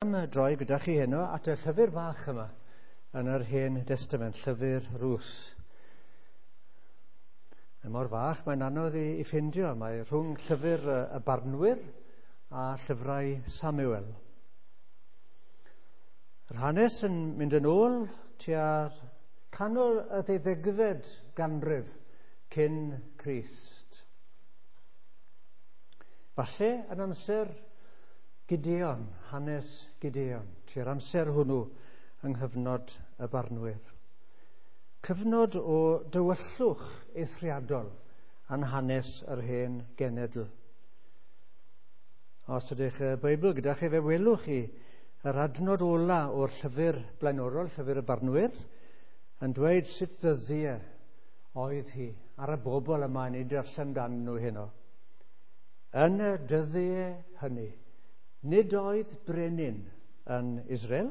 Am droi gyda chi heno at y llyfr bach yma yn yr Hen Destament, llyfr Rws. Mae mor fach, mae'n anodd i ffindio. Mae rhwng llyfr y Barnwyr a llyfrau Samuel. Yr hanes yn mynd yn ôl tua'r canol y ddeuddegfed ganrif cyn Crist. Falle yn amser Gideon, hanes Gideon, tua'r amser hwnnw yng nghyfnod y Barnwyr. Cyfnod o dywyllwch eithriadol yn hanes yr hen genedl. Os ydych y Beibl gyda chi, fe welwch chi yr adnod ola o'r llyfr blaenorol, llyfr y Barnwyr, yn dweud sut ddyddiau oedd hi ar y bobl yma yn ei darllen dan nhw heno. Yn y dyddiau hynny, nid oedd brenin yn Israel,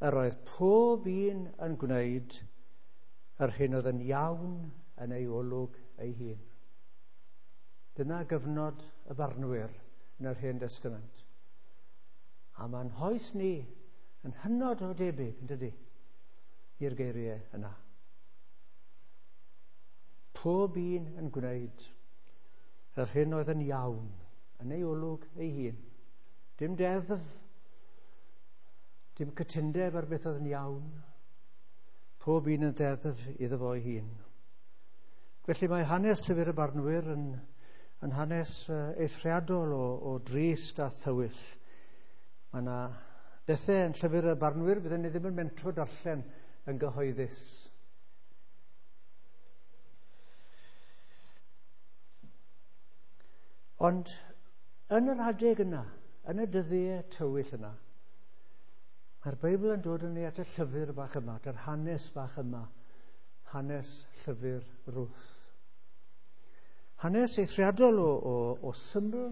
yr oedd pob un yn gwneud yr hyn oedd yn iawn yn ei olwg ei hun. Dyna gyfnod y Barnwyr yn yr Hen Destament. A mae'n hoes ni yn hynod o debyg, yn dydy, i'r geiriau yna. Pob un yn gwneud yr hyn oedd yn iawn yn ei olwg ei hun. Dim deddf, dim cytundeb ar beth oedd yn iawn. Pob un yn ddeddf iddo fo'i hun. Felly mae hanes llyfr y Barnwyr yn hanes eithriadol o drist a thywyll. Mae yna bethau yn llyfr y Barnwyr byddwn ni ddim yn mentro darllen yn gyhoeddus. Ond yn yr adeg yna, yn y dyddiau tywyll yna, mae'r Beibl yn dod yn ni at y llyfr bach yma, at yr hanes bach yma, hanes llyfr Ruth. Hanes eithriadol o syml.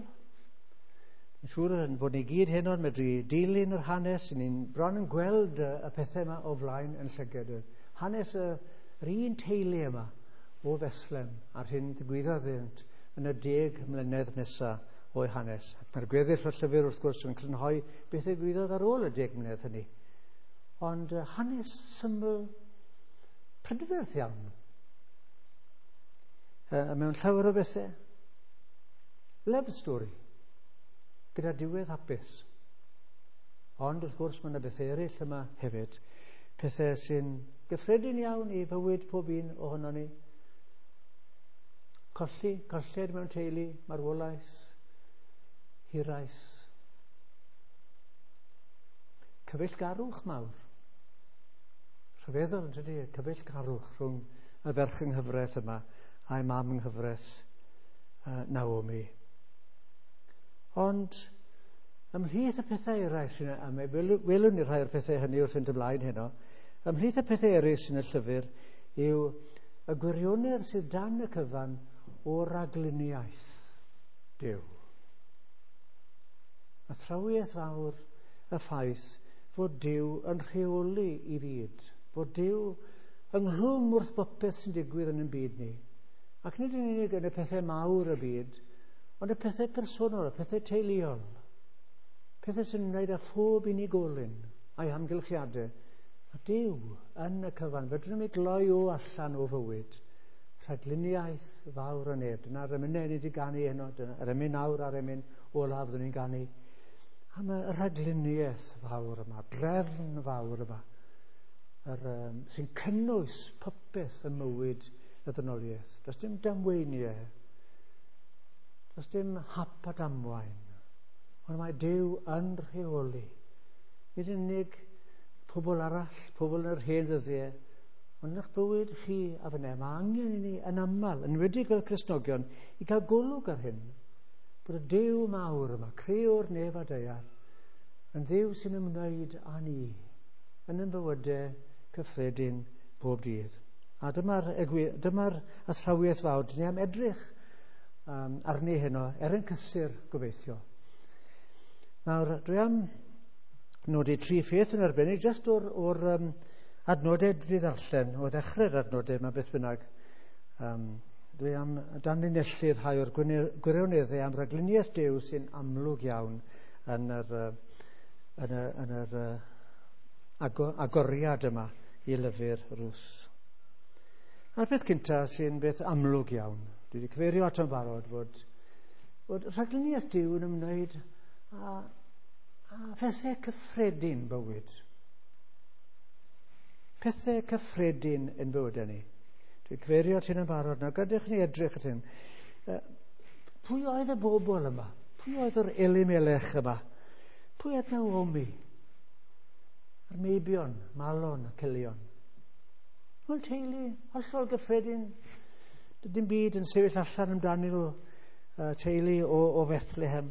Yn siŵr yn bod ni gyd heno yn medru dilyn yr hanes, ni'n bron yn gweld y pethau yma o flaen yn llygad. Hanes yr un teulu yma o Fethlem a'r hyn ddigwyddodd iddynt yn y 10 mlynedd nesaf o'i hanes. Ac mae'r gweddill o'r llyfr wrth gwrs yn crynhoi beth ddigwyddodd ar ôl y 10 mlynedd hynny. Ond hanes syml prydferth iawn. Mewn llawer o bethau. Love story. Gyda diwedd hapus. Ond wrth gwrs mae yna bethau eraill yma hefyd. Pethau sy'n gyffredin iawn i fywyd pob un ohonon ni. Colli, colled mewn teulu, marwolaeth, hiraeth. Cyfeillgarwch mawr. Rhyfeddol yn tydi, cyfeillgarwch rhwng y ferch yng nghyfraith yma a'i mam yng nghyfraith Naomi. Ond ymhlith y pethau eraill sy'n, a mae welwn ni rhai o'r pethau hynny wrth fynd ymlaen heno, ymhlith y pethau eraill sy'n y llyfr yw y gwirionedd sydd dan y cyfan o ragluniaeth Duw. Athrawiaeth fawr y ffaith fod Duw yn rheoli i fyd, fod Duw ynghlwm wrth bopeth sy'n digwydd yn ein byd ni. Ac nid yn unig yn y pethau mawr y byd, ond y pethau personol, y pethau teuluol, pethau sy'n ymwneud â phob unigolyn a'i hamgylchiadau. A Duw yn y cyfan, fedrwn ni gloi o allan o fywyd, rhagluniaeth fawr o neb. Dyna'r emynau ni wedi ganu heno, dyna'r emyn nawr a'r emyn olaf fyddwn ni'n ganu. Am y rhagluniaeth fawr yma, drefn fawr yma, sy'n cynnwys popeth ym mywyd y ddynoliaeth. Does dim damweiniau, does dim hap a damwain, ond mae Duw yn rheoli. Nid yn unig pobl arall, pobl yn yr hen ddyddiau, ond yn eich bywyd chi a fyne. Mae angen i ni yn aml, yn enwedig fel Cristnogion, i gael golwg ar hyn, bod y Duw mawr yma, crëwr nef a daear, yn Dduw sy'n ymwneud â ni, yn ein bywydau cyffredin bob dydd. A dyma'r athrawiaeth fawr, dyn ni am edrych arni heno, er yn cysur gobeithio. Nawr, dwi am nodi tri pheth yn arbennig, jyst o'r adnodau dwi ddarllen, o ddechrau'r adnodau yma beth bynnag. Dwi am danlinellu rhai o'r gwirioneddau am ragluniaeth Duw sy'n amlwg iawn yn yr yn yr agoriad yma i lyfr Rws. A'r peth cyntaf sy'n beth amlwg iawn, dwi wedi cyfeirio ato'n barod, fod rhagluniaeth Duw yn ymwneud â phethau cyffredin bywyd. Pethau cyffredin yn bywydau ni. Dwi'n cyfeirio at hyn yn barod. Nawr, gadewch ni edrych at hyn. Pwy oedd y bobl yma? Pwy oedd yr Elimelech yma? Pwy oedd Naomi? A'r meibion, Malon a Cilion. Wel, teulu, hollol gyffredin. Dim byd yn sefyll allan amdanyn nhw, teulu o Fethlehem.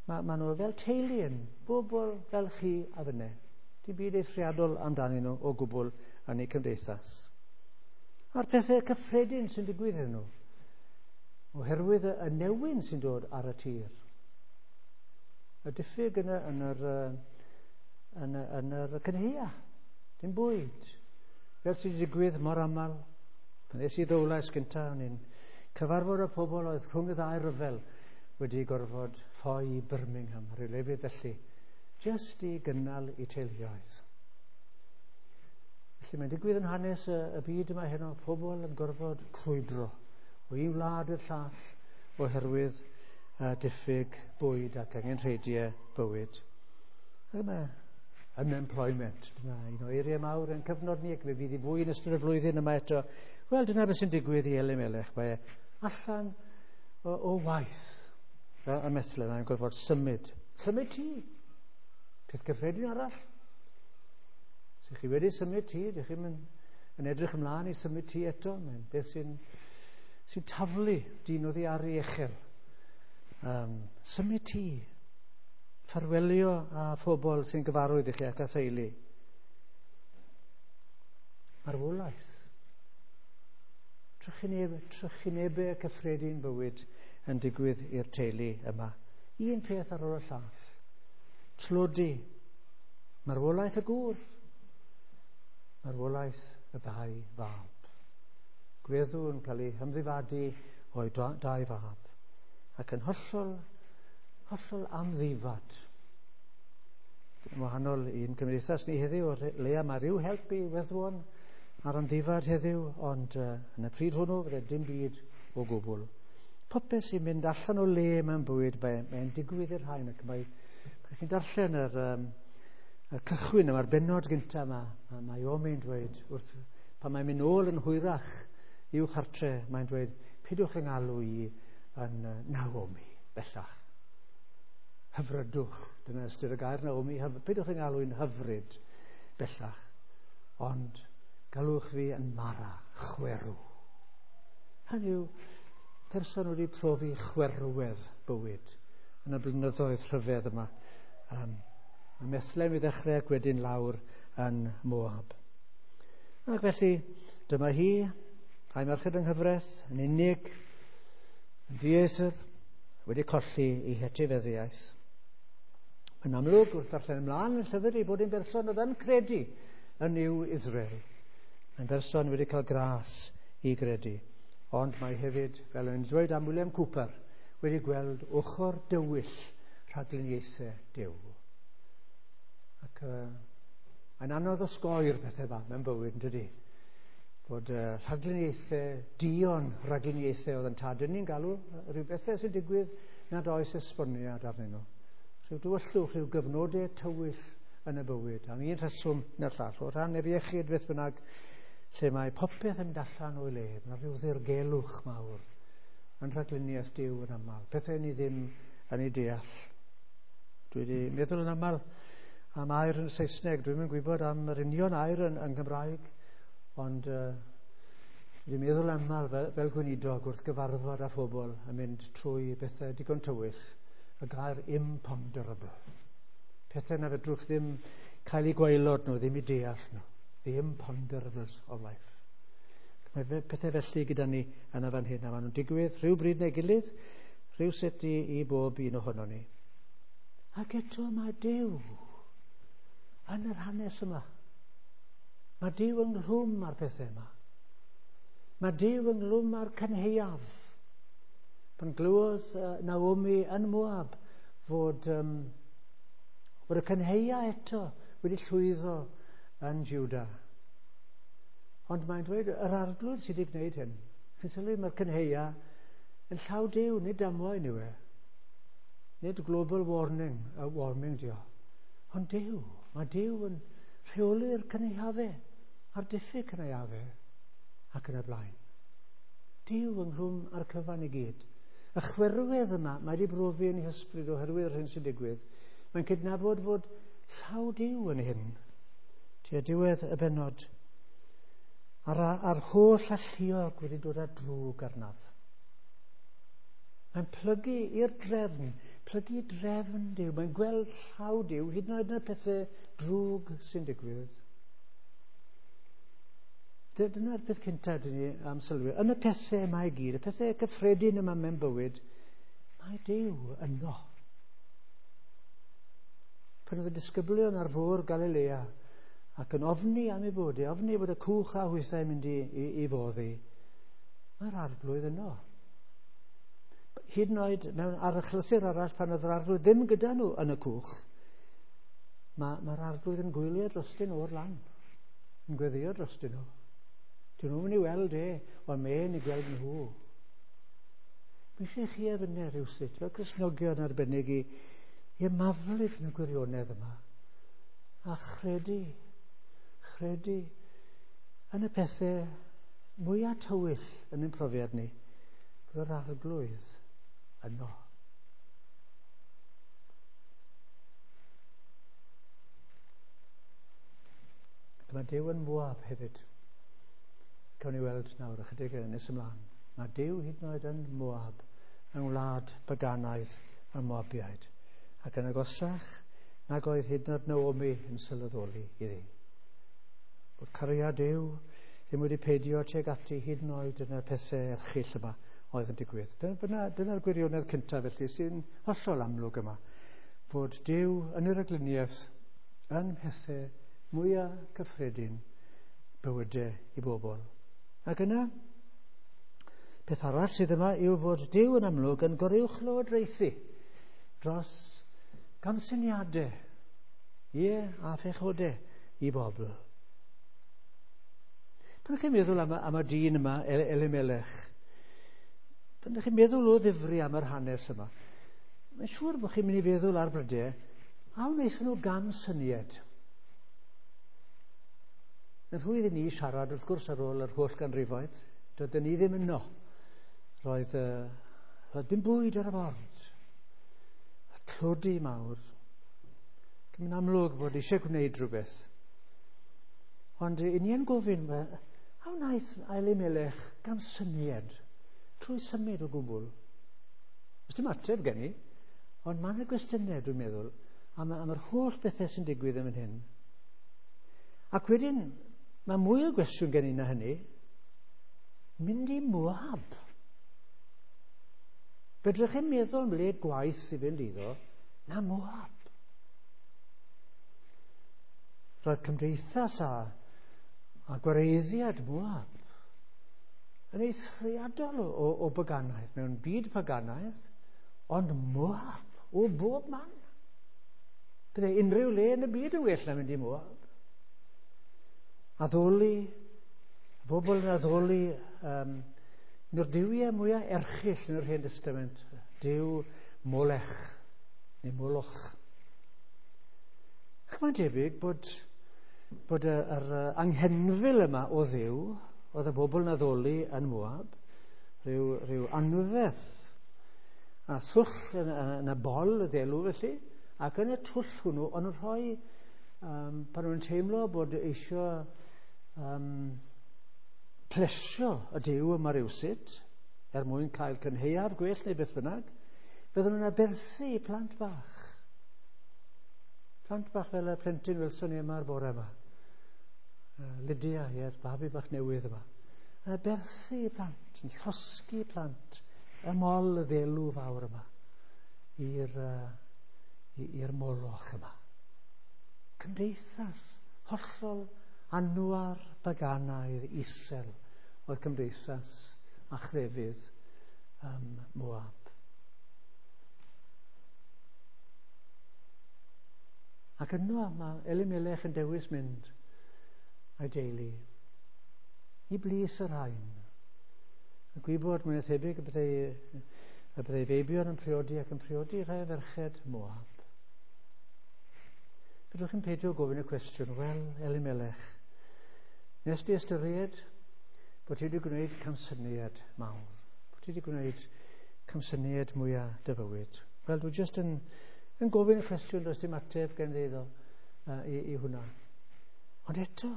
Ma nhw fel teulu yn bobl fel chi a fynne. Dim byd eithriadol amdanyn nhw o gwbl yn eu cymdeithas. A'r pethau cyffredin sy'n digwydd iddyn nhw, oherwydd y newyn sy'n dod ar y tir. Y diffyg yn yr cynhaea, dim bwyd. Fel sy'n digwydd mor aml. Pan es i Ddowlais gyntaf, o'n i'n cyfarfod y pobl oedd rhwng y ddau ryfel wedi gorfod ffoi i Birmingham, rhyw lefydd felly, jyst i gynnal eu teuluoedd. Felly mae'n digwydd yn hanes y byd yma heno, pobl yn gorfod crwydro o un wlad i'r llall oherwydd diffyg bwyd ac angenrheidiau bywyd. Ac mae unemployment, dyna un o eiriau mawr yn cyfnod ni, ac fe fydd i fwy yn ystod y flwyddyn yma eto. Wel, dyna beth sy'n digwydd i Elimelech. Mae e allan o waith ym Methlehem, mae'n gorfod symud. Symud ti. Peth cyffredin arall. Os chi wedi symud ti, ydych chi'n yn edrych ymlaen i symud ti eto. Mae'n beth sy'n taflu dyn oddi ar ei echel. Symud ti. Ffarwelio â phobl sy'n gyfarwydd i chi ac â theulu. Marwolaeth. Trychinebau cyffredin bywyd yn digwydd i'r teulu yma. Un peth ar ôl y llall. Tlodi. Marwolaeth y gŵr. Marwolaeth y ddau fab. Gweddw yn cael ei hymddifadu o'i dau fab. Ac yn hollol amddifad. Yn wahanol i'n cymdeithas ni heddiw, o leia mae rhyw help i weddwon ar amddifad heddiw, ond yn y pryd hwnnw fydde dim byd o gwbl. Popeth sy'n mynd allan o le mewn bywyd, mae'n digwydd i'r rhain, ac mae chi'n darllen yr cychwyn yma'r bennod gyntaf yma, mae Naomi'n dweud, wrth, pan mae'n mynd nôl yn hwyrach i'w chartre, mae'n dweud, pidwch yng ngalw i yn Naomi, bellach. Hyfrydwch, dyna ystyr y gair Naomi, pidwch yng ngalw i'n hyfryd bellach, ond galwch fi yn Mara, chwerw. Hynny yw, person wedi profi chwerwedd bywyd yn y blynyddoedd rhyfedd yma. Ym Methlehem i ddechrau ac wedyn lawr yn Moab. Ac felly, dyma hi, a'i merched yng nghyfraith, yn unig, yn ddieithr, wedi colli ei hetifeddiaeth. Yn amlwg, wrth ddarllen ymlaen yn llyfr, ei bod yn berson oedd yn credu yn Nuw Israel. Mae'n berson wedi cael gras i gredu. Ond mae hefyd, fel o'n dweud am William Cooper, wedi gweld ochr dywyll rhagluniaethau Duw. Ac mae'n anodd osgoi'r pethau yma mewn bywyd, yn dydi? Fod rhagluniaethau, dion rhagluniaethau oedd yn tad. Dyn ni'n galw rhyw bethau sy'n digwydd nad oes esboniad arnyn nhw. Rhyw dywyllwch, rhyw gyfnodau tywyll yn y bywyd, am un rheswm neu'r llall, o ran yr iechyd beth bynnag, lle mae popeth yn mynd allan o'i le, mae rhyw ddirgelwch mawr yn rhagluniaeth Duw yn aml, pethau ni ddim yn ei deall. Dwi wedi meddwl yn aml am air yn Saesneg, dwi'n yn gwybod am yr union air yn Gymraeg, ond dwi wedi meddwl aml fel gweinidog wrth gyfarfod â phobl yn mynd trwy bethau digon tywyll, y gair imponderable. Pethau na fedrwch ddim cael eu gwaelod nhw, ddim i deall nhw. The imponderables of life. Mae pethau felly gyda ni yn y fan hyn, a maen nhw'n digwydd rhyw bryd neu gilydd, rhyw sut i bob un ohono ni. Ac eto mae Duw yn yr hanes yma. Mae Duw ynghlwm â'r pethau yma. Mae Duw ynghlwm â'r cynhaeaf. Pan glywodd Naomi yn Moab fod Bod y cynheia eto wedi llwyddo yn Juda. Ond mae'n dweud, yr arglwydd sydd wedi gwneud hyn. Chi'n sylwi, mae'r cynheia yn llaw Duw, nid damwain yw e. Nid global warning, warming dio. Ond Duw, mae Duw yn rheoli'r cynhaeafau, a'r diffyg cynhaeafau, ac yn y blaen. Duw ynghlwm â'r cyfan i gyd. Y chwerwedd yma, mae wedi brofi yn ei hysbryd oherwydd yr hyn sy'n digwydd. Mae'n cydnabod fod llaw Duw yn hyn. Tua diwedd y bennod. A'r holl alluog wedi dod â drwg arnaf. Mae'n plygu i'r drefn, plygu i drefn Duw. Mae'n gweld llaw Duw, hyd yn oed yn y pethau drwg sy'n digwydd. Dyna'r peth cyntaf dyn ni am sylwi. Yn y pethau yma i gyd, y pethau cyffredin yma mewn bywyd, mae Duw yno. Pan oedd y disgyblion ar fôr Galilea ac yn ofni am ei bod, ofni bod y cwch a hwythau yn mynd i foddi, mae'r arglwydd yno. Hyd yn oed mewn ar achlysur arall pan oedd yr arglwydd ddim gyda nhw yn y cwch, mae'r arglwydd yn gwylio drostyn nhw o'r lan, yn gweddio drostyn nhw. Dyn nhw'n mynd i weld e, ond mae'n i gweld nhw. Mae eisiau chi a fyny rhywsut, fel Cristnogion arbennig i ymaflyd yn y gwirionedd yma, a chredu yn y pethau mwyaf tywyll yn ein profiad ni, bod yr arglwydd yno. Ac mae Duw yn Moab hefyd. Cawn ni weld nawr ychydig yn nes ymlaen. Mae Duw hyd yn oed yn Moab, yng ngwlad baganaidd y Moabiaid. Ac yn agosach nag oedd hyd yn oed Naomi yn sylweddoli iddi. Bod cariad Duw ddim wedi peidio tuag ati hyd yn oed yn y pethau erchyll yma oedd yn digwydd. Dyna'r gwirionedd cyntaf felly sy'n hollol amlwg yma. Fod Duw yn yr agluniaeth yn mhethau mwyaf cyffredin bywydau i bobl. Ac yna, peth arall sydd yma yw fod Duw yn amlwg yn goruwchlywodraethu dros gamsyniadau, ie, a phechodau i bobl. Pan ydych chi'n meddwl am y dyn yma, Elimelech, pan ydych chi'n meddwl o ddifri am yr hanes yma, mae'n siŵr bod chi'n mynd i feddwl ar brydau, a wnaethon nhw gamsyniad. Yn rhwydd i ni siarad, wrth gwrs, ar ôl yr holl ganrifoedd, doedden ni ddim yno. Roedd dim bwyd ar y bord. Tlodi mawr. Mae'n amlwg bod eisiau gwneud rhywbeth. Ond i ni yn gofyn, a wnaeth Elimelech gamsyniad trwy symud o gwbl? Oes dim ateb gen i, ond mae yna gwestiynau, dwi'n meddwl, am yr holl bethau sy'n digwydd yn fan hyn. Ac wedyn, mae mwy o gwestiwn gen i na hynny. Mynd i Moab. Fedrwch chi'n meddwl am le gwaith i fynd iddo, na Moab. Roedd cymdeithas a gwareiddiad Moab yn eithriadol o baganaidd, mewn byd paganaidd, ond Moab o bob man. Byddai unrhyw le yn y byd yn well na mynd i Moab. Addoli, bobl yn addoli un o'r duwiau mwyaf erchyll yn yr Hen Testament, Duw Molech, neu Moloch. Ac mae'n debyg bod yr anghenfil yma o Dduw, oedd y bobl yn addoli yn Moab, rhyw anferth a thwll yn y bol y ddelw felly, ac yn y twll hwnnw, o'n nhw'n rhoi, pan nhw'n teimlo bod eisiau plesio y Duw yma rywsut, er mwyn cael cynhaeaf gwell neu beth bynnag, fydden nhw'n aberthu plant bach. Plant bach fel y plentyn welson ni yma ar bore yma. Lydia, ie'r babi bach newydd yma. Yn aberthu plant, yn llosgi plant ym mol y ddelw fawr yma i'r Moloch yma. Cymdeithas hollol anwar baganaidd isel oedd cymdeithas a chrefydd Moab. Ac yno mae Elimelech yn dewis mynd a'i deulu i blith y rhain. Y gwybod mwyn thebyg y byddai feibion yn priodi ac yn priodi rhai o ferched Moab. Fedrwch chi'n peidio gofyn y cwestiwn, wel, Elimelech, nes di ystyried bod ti wedi gwneud camsyniad mawr, bod ti wedi gwneud camsyniad mwyaf dy fywyd? Wel, dwi jyst yn gofyn y cwestiwn, does dim ateb gen i iddo i hwnna. Ond eto,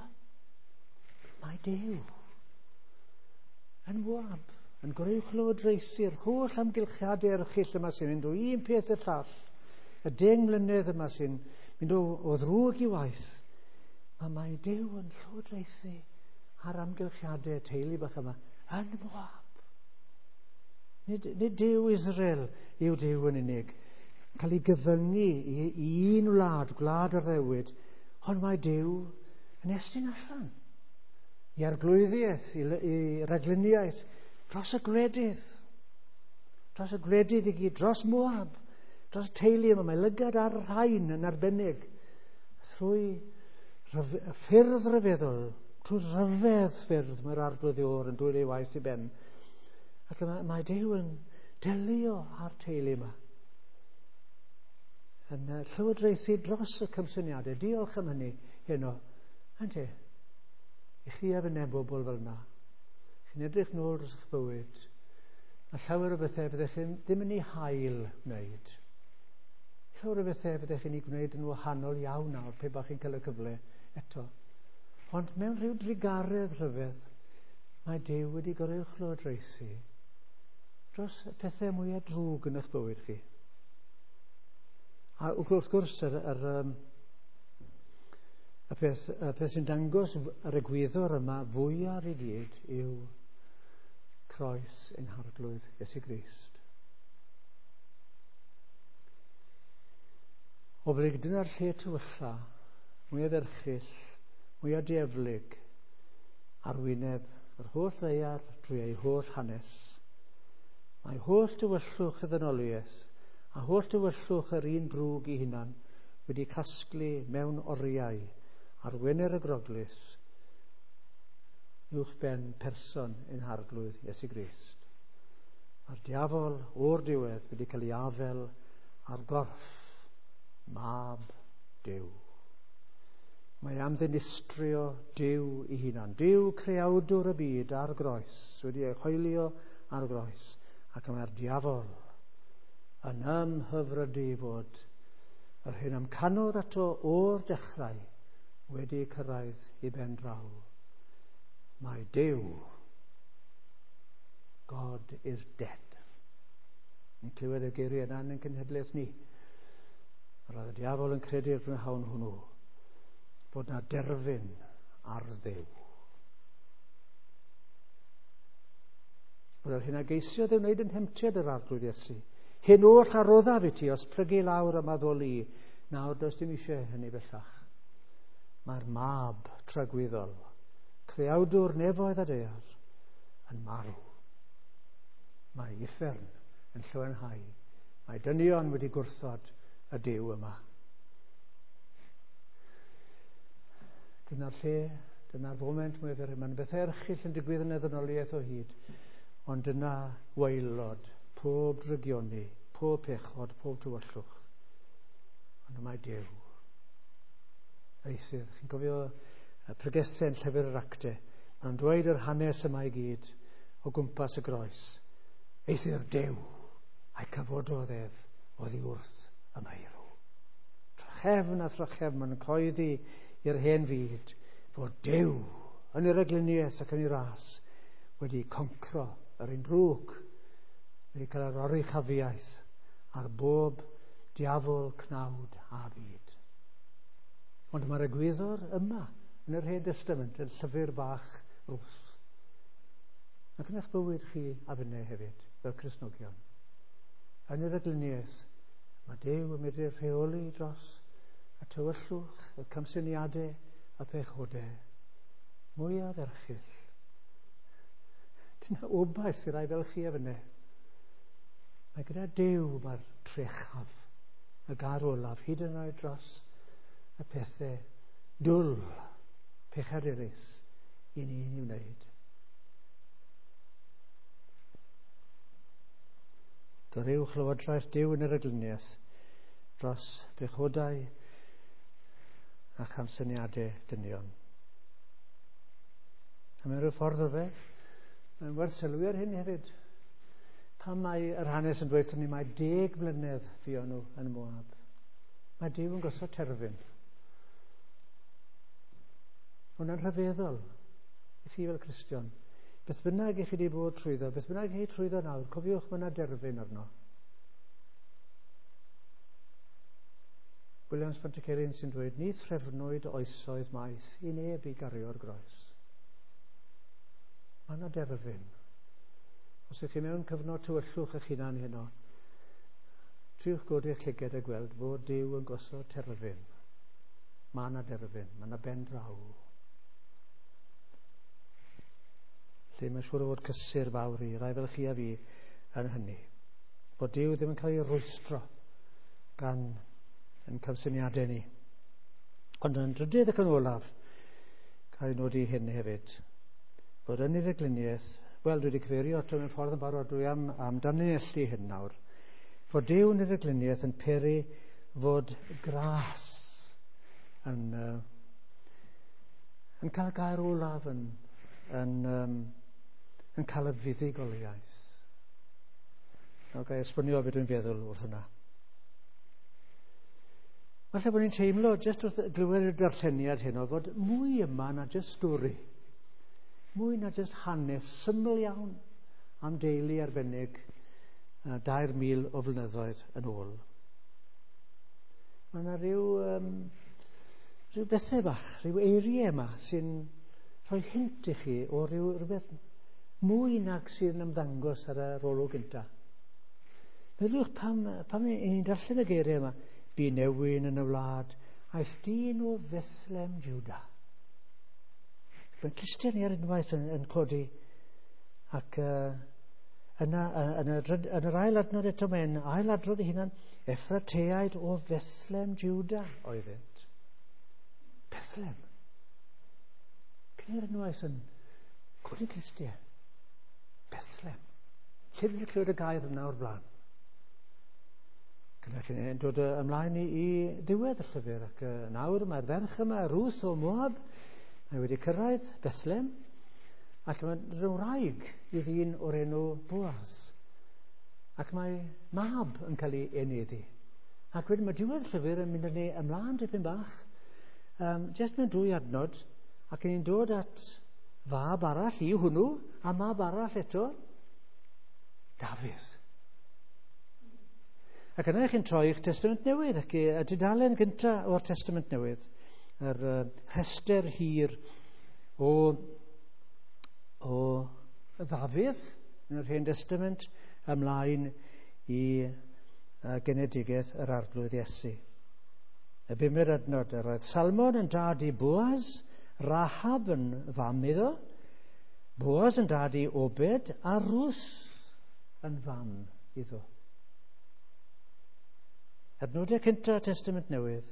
mae Duw yn Moab, yn goruwchlywodraethu'r holl amgylchiadau erchyll yma sy'n mynd o un peth i'r llall, y 10 mlynedd yma sy'n mynd o ddrwg i waith. Mae Duw yn llywodraethu ar amgylchiadau teulu bach yma yn Moab. Nid Duw Israel yw Duw yn unig, cael ei gyfyngu i un wlad, gwlad yr addewid, ond mae Duw yn estyn allan i arglwyddiaeth, i ragluniaeth, dros y gwledydd i gyd, dros Moab, dros teulu yma. Mae lygad ar rhain yn arbennig, trwy ffyrdd rhyfeddol, trwy ryfedd ffyrdd mae'r Arglwydd Iôr yn dwyn ei waith i ben. Ac mae Duw yn delio â'r teulu yma, yn llywodraethu dros y camsyniadau. Diolch am hynny heno. Ynte, i chi a fy bobl fel yna, chi'n edrych nôl dros eich bywyd, a llawer o bethau fyddech chi ddim yn ei hail wneud. Llawer o bethau fyddech chi'n ei gwneud yn wahanol iawn nawr, pe bach chi'n cael y cyfle eto. Ond mewn rhyw drugaredd rhyfedd, mae Duw wedi goruwchlywodraethu dros y pethau mwyaf drwg yn eich bywyd chi. A wrth gwrs, y peth sy'n dangos yr egwyddor yma fwyaf i gyd yw croes ein Harglwydd Iesu Grist. O brig dyna'r lle tywylla, mwyaf erchyll, mwyaf dieflig, ar wyneb yr holl ddaear drwy ei holl hanes. Mae holl tywyllwch y ddynoliaeth a holl tywyllwch yr un drwg i hunan wedi casglu mewn oriau ar Wener y Groglith uwch ben person ein Harglwydd Iesu Grist. Mae'r diafol o'r diwedd wedi cael ei afel ar gorff mab Duw. Mae am ddinistrio Duw ei hunan. Duw creawdwr y byd ar groes, wedi ei hoelio ar groes, ac mae'r diafol yn ymhyfrydu fod yr hyn amcanodd ato o'r dechrau wedi cyrraedd i ben draw. Mae Duw, God is dead. Yn clywed y geiriau yna yn cenhedlaeth ni. Yr oedd y diafol yn credu'r prynhawn hwnnw bod na derfyn ar Dduw. Bod yr hyn a geisiodd ei wneud yn hemtiad yr Arglwydd Iesu. Hyn oll a roddaf i ti os prygu lawr am addoli. Nawr does dim eisiau hynny bellach. Mae'r mab tragwyddol, creawdwr nefoedd a daear, yn marw. Mae uffern yn llawenhau. Mae dynion wedi gwrthod y Duw yma. Dyna'r lle, dyna'r foment mwyaf erchyll. Mae'n bethau erchyll yn digwydd yn y ddynoliaeth o hyd, ond dyna waelod pob drygioni, pob pechod, pob tywyllwch. Ond mae Duw. Eithyr, chi'n cofio y pregethau yn llyfr yr Actau, mae'n dweud yr hanes yma i gyd o gwmpas y groes. Eithyr Duw, a'i cyfododd ef oddi wrth y meirw. Trachefn a thrachefn, mae'n coeddi i'r hen fyd fod Duw yn yr egluniaeth ac yn ei ras wedi concro yr un drwg, wedi cael yr oruchafiaeth ar bob diafol, cnawd a byd. Ond mae'r egwyddor yma yn yr Hen Testament, yn llyfr bach Rwth. Ac yn eich bywyd chi a finne hefyd, fel Cristnogion. Yn yr egluniaeth, mae Duw yn medru rheoli dros y tywyllwch, y camsyniadau, y pechodau mwyaf erchyll. Dyna obaith i rai fel chi a finne. Mae gyda Duw mae'r trechaf, y gair olaf, hyd yn oed dros y pethau dwl, pechadurus i ni'n ei wneud. Goruwch lywodraeth Duw yn yr agluniaeth dros bechodau a chamsyniadau dynion. A mewn rhyw ffordd ryfedd, mae'n werth sylwi ar hyn hefyd. Pam mae yr hanes yn dweud ni mae 10 mlynedd fuon nhw yn Moab? Mae Duw yn gosod terfyn. Hwnna'n rhyfeddol i chi fel Cristion. Beth bynnag i chi wedi bod trwyddo, beth bynnag i chi trwyddo nawr, cofiwch mae yna derfyn arno. Williams Pantycelyn sy'n dweud, ni threfnwyd oesoedd maith i neb i gario'r groes. Mae yna derfyn. Os ydych chi mewn cyfnod tywyllwch eich hunan heno, triwch godi eich llygad a gweld fod Duw yn gosod terfyn. Mae yna derfyn, mae yna ben draw. Lle mae'n siŵr o fod cysur fawr i rai fel chi a fi yn hynny. Bod Duw ddim yn cael ei rwystro gan yn camsyniadau ni. Ond yn drydydd ac yn olaf, cael ei nodi hyn hefyd, bod yn yr egluniaeth, wel, dwi wedi cyfeirio ato mewn ffordd yn barod, dwi am danlinellu hyn nawr, fod Duw yn yr egluniaeth yn peri fod gras yn cael gair olaf, yn cael y fuddugoliaeth. Nawr, ga i esbonio beth dwi'n feddwl wrth hwnna. Falle bod ni'n teimlo, jyst wrth glywed y darlleniad heno, fod mwy yma na jyst stori. Mwy na jyst hanes syml iawn am deulu arbennig 2,000 o flynyddoedd yn ôl. Mae yna rhyw bethau bach, rhyw eiriau yma sy'n rhoi hint i chi o rhywbeth mwy nag sydd yn ymddangos ar yr olwg gyntaf. Meddyliwch pam ni'n darllen y geiriau yma. Bu newyn yn y wlad, aeth dyn o Fethlem Juda. Mae'n clustiau ni ar unwaith yn codi, ac yna, yn yr ail adnod eto mae'n ailadrodd ei hunan, Effrateaid o Fethlem Juda oeddynt. Bethlem. Cyn ar unwaith yn codi clustiau. Bethlem. Lle dwi wedi clywed y gair yna o'r blaen? Cynnwch chi'n dod ymlaen i ddiwedd y llyfr, ac nawr mae'r ferch yma, Ruth o Moab, mae wedi cyrraedd Bethlem, ac mae'n wraig i ddyn o'r enw Boaz, ac mae mab yn cael ei eneddu. Ac wedyn mae diwedd y llyfr yn mynd â ni ymlaen dipyn bach, jyst mewn 2 adnod, ac ni'n dod at fab arall i hwnnw, a mab arall eto, Dafydd. Ac yna chi'n troi i'ch Testament Newydd, ac y dudalen gyntaf o'r Testament Newydd, yr rhestr hir o Ddafydd yn yr Hen Testament ymlaen i genedigaeth yr Arglwydd Iesu. Y bumed adnod, yr oedd Salmon yn dad i Boaz, Rahab yn fam iddo, Boaz yn dad i Obed, a Ruth yn fam iddo. Adnodau cyntaf Testament Newydd,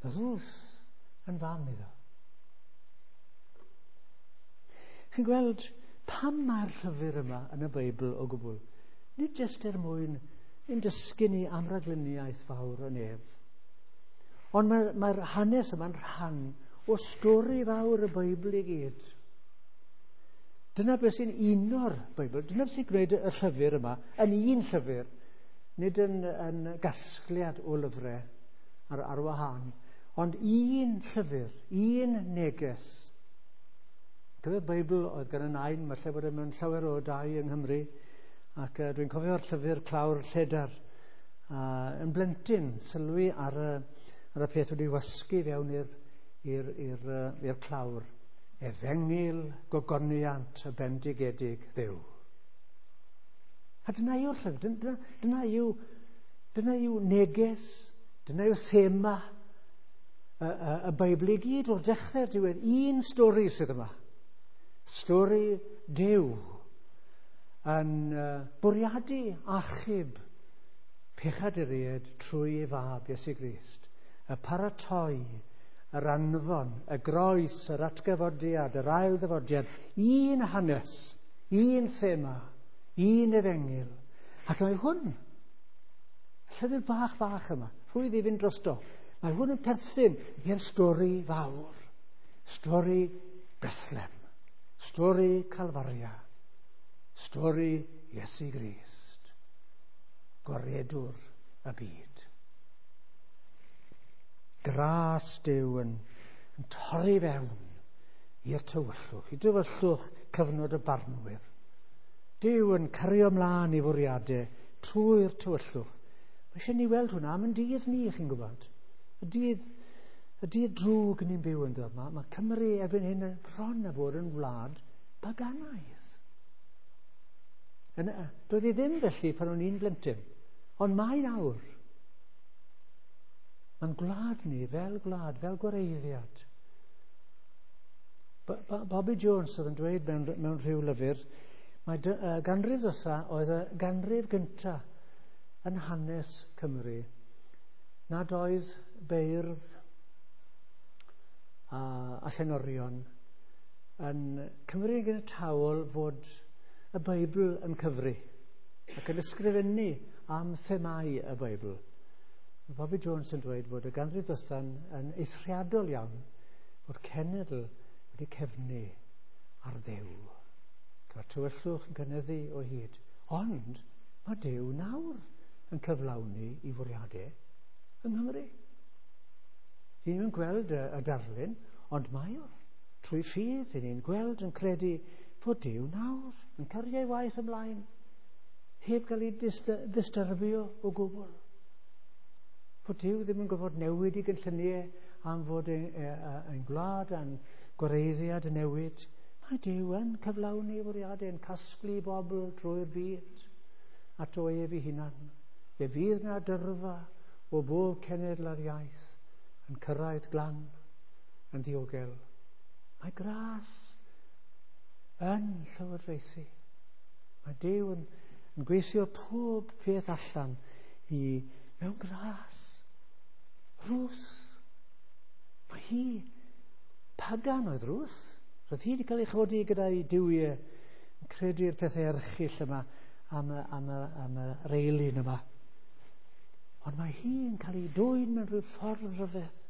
Ruth yn fam iddo. Chi'n gweld pam mae'r llyfr yma yn y Beibl o gwbl? Nid jyst er mwyn ein dysgu ni am ragluniaeth fawr y nef, ond mae'r hanes yma'n rhan o stori fawr y Beibl i gyd. Dyna beth sy'n uno'r Beibl, dyna beth sy'n gwneud y llyfr yma yn un llyfr, nid yn gasgliad o lyfrau ar wahân, ond un llyfr, un neges. Cyfe'r Beibl oedd gan y nain, mae lle bod e mewn llawer o dai yng Nghymru, ac dwi'n cofio'r llyfr Clawr Lledar, yn blentyn sylwi ar y peth wedi wasgu fewn i'r clawr. Efengyl gogoniant y bendigedig Dduw. A dyna yw'r llyfr, dyna yw neges, dyna yw thema y Beibl i gyd o'r dechrau'r diwedd. Un stori sydd yma. Stori Duw yn bwriadu achub pechaduriaid trwy ei fab Iesu Grist. Y paratoi, yr anfon, y groes, yr atgyfodiad, yr ail ddyfodiad, un hanes, un thema, un efengyl. Ac mae hwn, y llyfr bach bach yma, rhwydd i fynd drosto, mae hwn yn perthyn i'r stori fawr, stori Bethlehem, stori Calfaria, stori Iesu Grist, gwaredwr y byd. Gras Duw yn torri fewn i'r tywyllwch, i dywyllwch cyfnod y barnwyr. Duw yn cario ymlaen i fwriadau trwy'r tywyllwch. Mae eisiau ni weld hwnna am yn dydd ni, chi'n gwybod. Y dydd drwg ni'n byw ynddo. Mae Cymru erbyn hyn yn bron a bod yn wlad paganaidd. Doedd hi ddim felly pan o'n i'n blentyn, ond mae nawr. Mae'n gwlad ni fel gwlad, fel gwareiddiad. Bobby Jones oedd yn dweud mewn rhyw lyfr, mae ganrif ddwytha oedd y ganrif gynta yn hanes Cymru nad oedd beirdd a llenorion yn Cymru yn ganiataol fod y Beibl yn cyfri ac yn ysgrifennu am themau y Beibl. Mae Bobby Jones yn dweud fod y ganrif ddwytha'n yn eithriadol iawn fod cenedl wedi cefnu ar Dduw. Mae'r tywyllwch yn cynyddu o hyd. Ond mae Duw nawr yn cyflawni i fwriadau yng Nghymru. Ni ddim yn gweld y darlun, ond mae o. Trwy ffydd, ni'n gweld yn credu fod Duw nawr yn cario ei waith ymlaen, heb gael ei ddistyrbio o gwbl. Fod Duw ddim yn gorfod newid i gynlluniau am fod ein gwlad a'n gwareiddiad yn newid. Mae Duw yn cyflawni fwriadau, yn casglu bobl drwy'r byd ato ef ei hunan. Fe fydd na dyrfa o bob cenedl a'r iaith yn cyrraedd glan yn ddiogel. Mae gras yn llywodraethu. Mae Duw yn gweithio pob peth allan i mewn gras. Ruth. Mae hi pagan oedd Ruth. Roedd hi wedi cael ei chodi gyda'i duwiau yn credu'r pethau erchyll yma am y reilin yma. Ond mae hi'n cael ei dwyn mewn rhyw ffordd rhyfedd.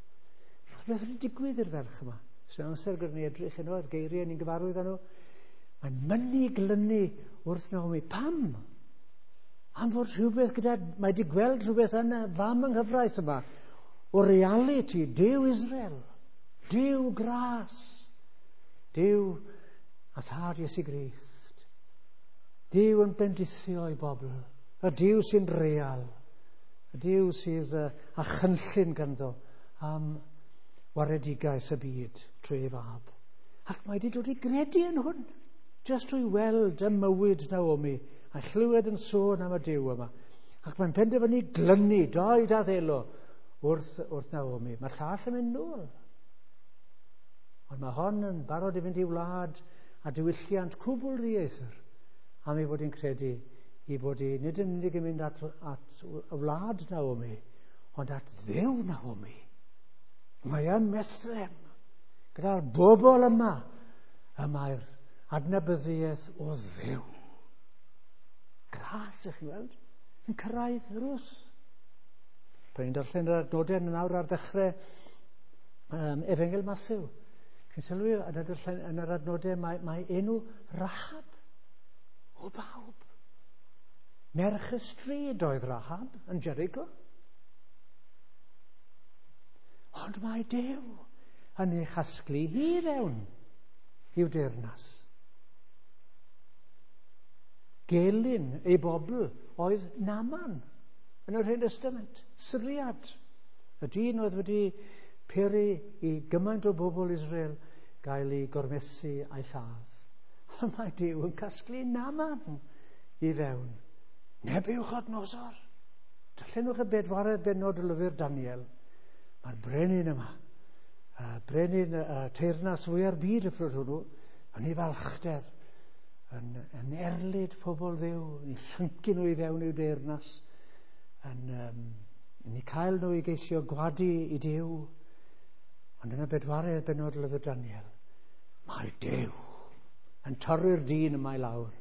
Beth wedi digwydd i'r ferch yma? Sy'n amser gyda ni edrych yno, a'r geiriau ni'n gyfarwydd â nhw. Mae'n mynnu glynu wrth Naomi. Pam? Am fod rhywbeth gyda... Mae wedi gweld rhywbeth yn y fam yng nghyfraith yma. O reality, Duw Israel, Duw gras, Duw a thad Iesu Grist. Duw yn bendithio i bobl. Y Duw sy'n real. Y Duw sydd â chynllun ganddo am waredigaeth y byd trwy ei fab. Ac mae wedi dod i gredu yn hwn, jyst trwy weld y mywyd Naomi a chlywed yn sôn am y Duw yma. Ac mae'n penderfynu glynu doed a ddelo wrth Naomi. Mae'r llall yn mynd nôl. Ond mae hon yn barod i fynd i wlad a diwylliant cwbl ddieithr am ei fod hi'n credu i bod hi nid yn unig yn mynd at y wlad Naomi, ond at Dduw Naomi. Mae yn Bethlehem, gyda'r bobl yma, y mae'r adnabyddiaeth o Dduw. Gras, ych chi'n weld, yn cyrraedd Rwth. Pan ni'n darllen yr adnodau yn awr ar ddechrau Efengyl Mathew, chi'n sylwi yn yr adnodau mae enw Rahab o bawb. Merch y stryd oedd Rahab yn Jericho. Ond mae Duw yn ei chasglu hi fewn i'w deyrnas. Gelyn ei bobl oedd Naaman yn yr Hen Testament, Syriad. Y dyn oedd wedi peri i gymaint o bobl Israel gael ei gormesu a'i lladd. Ond mae Duw yn casglu Naaman i fewn. Nebiwchodnosor. Darllenwch y bedwaredd bennod o lyfr Daniel. Mae'r brenin yma, brenin teyrnas fwya'r byd y pryd hwnnw, yn ei falchder, yn erlid pobl Dduw, yn ei llyncu nhw i fewn i'w deyrnas, yn Yn eu cael nhw i geisio gwadu i Duw. Ond yn y bedwaredd bennod lyfr Daniel, mae Duw yn torri'r dyn yma i lawr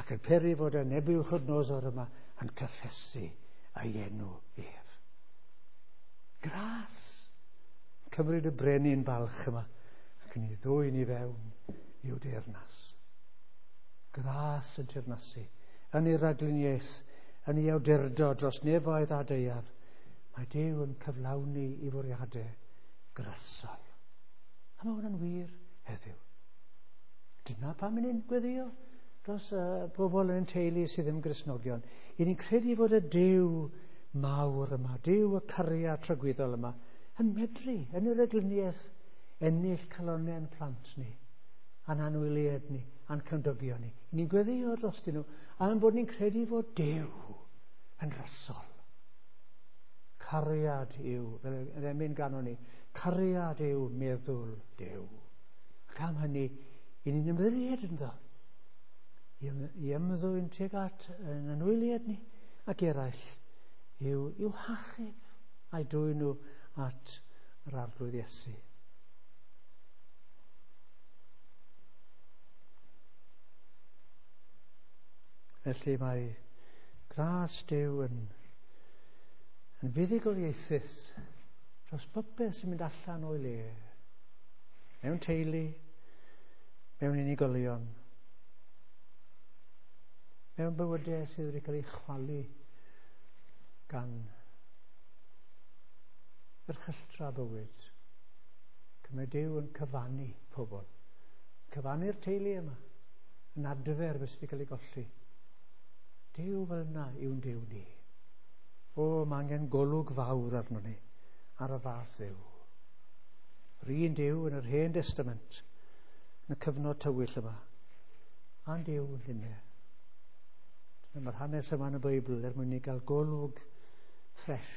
ac yn peri fod y Nebiwchodynosor yma yn cyffesu ei enw ef. Gras! Cymryd y brenin balch yma ac yn ei ddwyn i fewn i'w deyrnas. Gras yn teyrnasu, yn ei ragluniaeth, yn ei awdurdod dros nefoedd a daear. Mae Duw yn cyflawni i fwriadau grasol. A mae hwnna'n wir heddiw. Dyna pam ni'n gweddio dros bobl yn ein teulu sydd ddim Gristnogion. I ni'n credu fod y Duw mawr yma, Duw y cariad tragwyddol yma, yn medru, yn yr egluniaeth, ennill calonnau'n plant ni, a'n anwyliaid ni, a'n cymdogion ni. I ni'n gweddio drostyn nhw, am bod ni'n credu fod Duw yn rasol. Cariad yw, fel yr emyn ganon ni, cariad yw meddwl Duw. Ac am hynny, i ni'n ymddiried ynddo, i ymddwyn tuag at yn anwyliaid ni ac eraill, i'w hachub a'i dwyn nhw at yr Arglwydd Iesu. Felly mae gras Duw yn fuddugoliaethus dros bopeth sy'n mynd allan o'i le, mewn teulu, mewn unigolion, mewn bywydau sydd wedi cael eu chwalu gan erchylltra bywyd. Mae Duw yn cyfannu pobl, cyfannu'r teulu yma, yn adfer beth sydd wedi cael ei golli. Duw fel yna yw'n Duw ni. O, mae angen golwg fawr arno ni, ar y fath Dduw. Yr un Duw yn yr Hen Testament, yn y cyfnod tywyll yma, a'n Duw yn hynny. Dyna mae'r hanes yma yn y Beibl er mwyn ni gael golwg ffres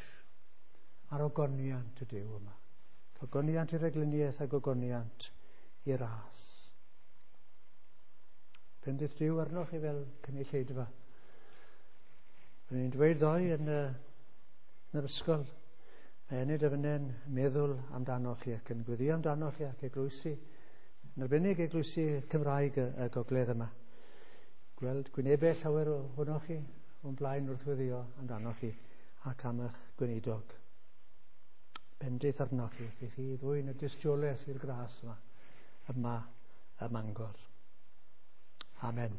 ar ogoniant y Duw yma. Ogoniant i'r egluniaeth ac ogoniant i'r ras. Bendith Duw arnoch chi fel cynulleidfa. Byddwn ni'n dweud ddoe yn yr ysgol, mae Enid a finne'n meddwl amdanoch chi ac yn gweddio amdanoch chi ac eglwysi, yn arbennig eglwysi Cymraeg y gogledd yma. Gweld gwynebau llawer ohonoch chi o'n blaen wrth weddio amdanoch chi ac am eich gweinidog. Bendith arnoch chi wrth i chi ddwyn y dystiolaeth i'r gras yma ym Mangor. Amen.